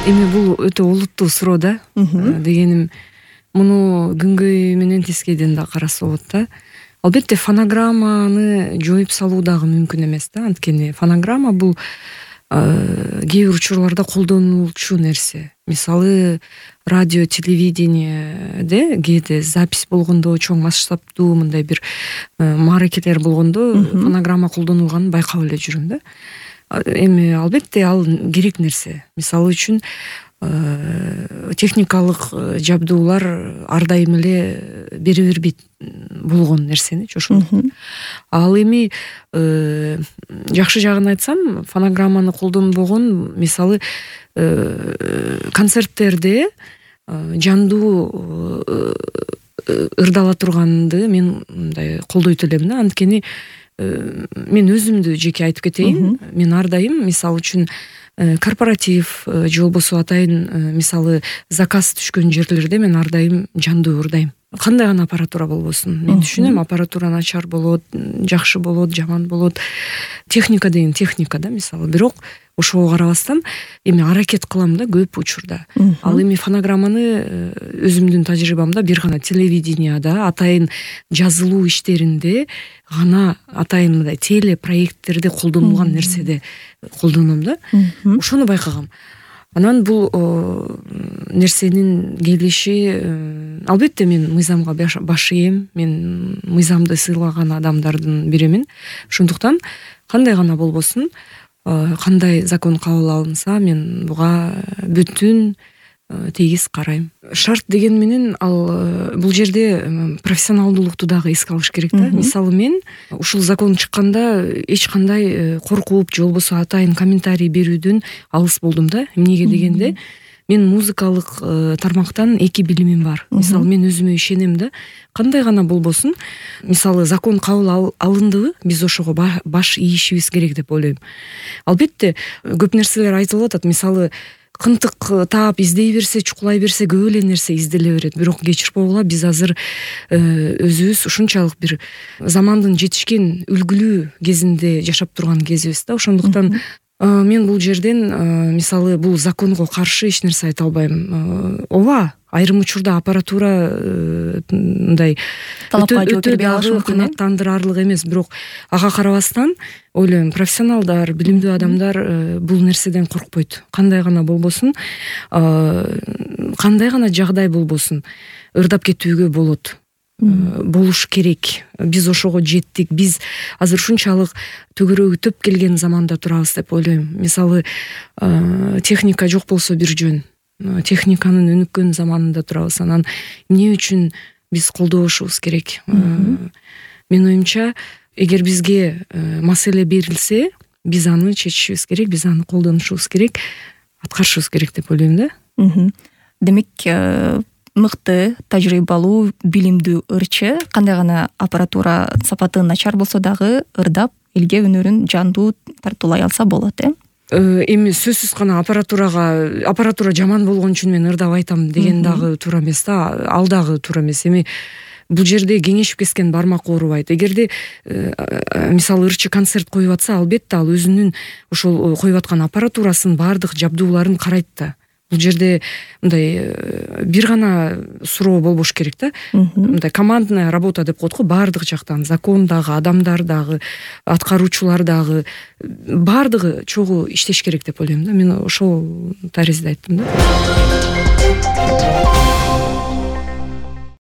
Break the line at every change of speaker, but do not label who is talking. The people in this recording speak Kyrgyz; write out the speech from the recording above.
Эми бул өтө олуттуу суроо да. Дегеним муну күнгөй менен тескейден да караса болот да. Албетте фонограмманы жоюп салуу дагы мүмкүн эмес да. Анткени фонограмма бул кээ бир учурларда колдонулчу нерсе. Мисалы радио, телевидениеде кээде запись болгондо, чоң масштабдуу мындай бир мааракелер болгондо фонограмма колдонулганын байкап эле жүрөм да. Эми албетте ал керек нерсе. Мисалы үчүн техникалык жабдуулар ар дайым эле бере бербейт болгон нерсени ошондуктан. Ал эми жакшы жагын айтсам, фонограмманы колдонбогон, мисалы концерттерде жандуу ырдала турганды мен мындай колдойт элем да. Анткени мен өзүмдү жеке айтып кетейин. Мен ар дайым, мисалы үчүн корпоратив же болбосо атайын мисалы заказ түшкөн жерлерде мен ар дайым жандуу ырдайм. Кандай гана аппаратура болбосун. Мен түшүнөм, аппаратура начар болот, жакшы болот, жаман болот. Техника деген техника да, мисалы. Бирок ошого карабастан эми аракет кылам да көп учурда. Ал эми фонограмманы өзүмдүн тажрыйбамда бир гана телевиденияда, атайын жазылуу иштеринде гана, атайын мындай телепроекттерде колдонулган нерседе колдоном да. Ошону байкагам. Анан бул нерсенин келиши, албетте мен мыйзамга баш ийем, мен мыйзамды сыйлаган адамдардын биримин. Ошондуктан кандай гана болбосун, кандай закон кабыл алынса, мен буга бүтүн тегиз карайм. Шарт деген менен ал бул жерде профессионалдуулукту дагы эске алыш керек да. Мисалы мен ушул закон чыкканда эч кандай коркуп же болбосо атайын комментарий берүүдөн алыс болдум да. Эмнеге дегенде, мен музыкалык тармактан 2 билимим бар. Мисалы мен өзүмө ишенем да. Кандай гана болбосун, мисалы закон кабыл алындыбы, биз ошого баш ийишибиз керек деп ойлойм. Албетте көп нерселер айтылып атат. Мисалы кынтык таап издей берсе, чукулай берсе көп эле нерсе изделе берет. Бирок кечирип койгула, биз азыр өзүбүз ушунчалык бир замандын жетишкен үлгүлүү кезинде жашап турган кезибиз да. Ошондуктан мен бул жерден мисалы бул законго каршы эч нерсе айта албайм. Ооба, айрым учурда аппаратура мындай өтө дагы канааттандырарлык эмес, бирок ага карабастан ойлойм, профессионалдар, билимдүү адамдар бул нерседен коркпойт. Кандай гана болбосун, кандай гана жагдай болбосун, ырдап кетүүгө болот. Болуш керек. Биз ошого жеттик. Биз азыр ушунчалык төгөрөгү төп келген заманда турабыз деп ойлойм. Мисалы техника жок болсо бир жөн. Техниканын өнүккөн заманында турабыз. Анан эмне үчүн биз колдобошубуз керек? Менин оюмча, эгер бизге маселе берилсе, биз аны чечишибиз керек, биз аны колдонушубуз керек, аткарышыбыз керек деп ойлойм да.
Демек, мыкты, тажрыйбалуу, билимдүү ырчы кандай гана аппаратура сапаты начар болсо дагы ырдап, элге өнөрүн жандуу тартуулай алса болот,
Эми сөзсүз гана аппаратура жаман болгон үчүн мен ырдап айтам деген дагы туура эмес да, ал дагы туура эмес. Эми бул жерде кеңешип кескен бармак оорубайт. Эгерде мисалы ырчы концерт коюп атса, албетте ал өзүнүн ошол коюп аткан аппаратурасын, баардык жабдууларын карайт да. Бул жерде мындай бир гана суроо болбош керек да. Мындай командная работа деп коет го, баардык жактан, закон дагы, адамдар дагы, аткаруучулар дагы, баардыгы чогуу иштеш керек деп ойлойм да. Мен ошол таризде айттым да.